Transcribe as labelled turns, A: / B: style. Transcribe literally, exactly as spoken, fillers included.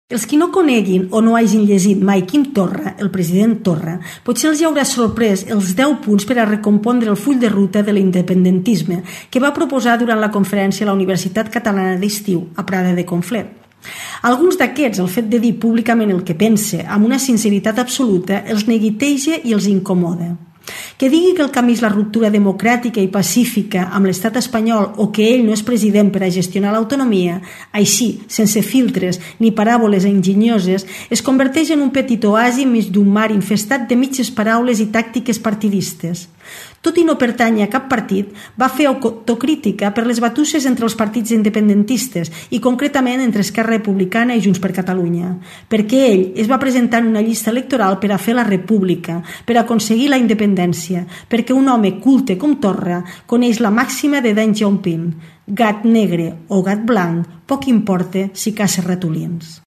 A: Els qui no coneguin o no hagin llegit mai Quim Torra, el president Torra, potser els hi haurà sorprès els deu punts per a recompondre el full de ruta de l'independentisme que va proposar durant la conferència a la Universitat Catalana d'Estiu, a Prada de Conflent. Alguns d'aquests, el fet de dir públicament el que pense amb una sinceritat absoluta, els neguiteja i els incomoda. Que digui que el camí és la ruptura democràtica i pacífica amb l'estat espanyol o que ell no és president per a gestionar l'autonomia, així, sense filtres ni paràboles enginyoses, es converteix en un petit oasi enmig d'un mar infestat de mitges paraules i tàctiques partidistes. Tot i no pertànyer a cap partit, va fer autocrítica per les batusses entre els partits independentistes i concretament entre Esquerra Republicana i Junts per Catalunya, perquè ell es va presentar en una llista electoral per a fer la república, per aconseguir la independència, perquè un home culte com Torra coneix la màxima de Deng Xiaoping: gat negre o gat blanc, poc importa si caça ratolins.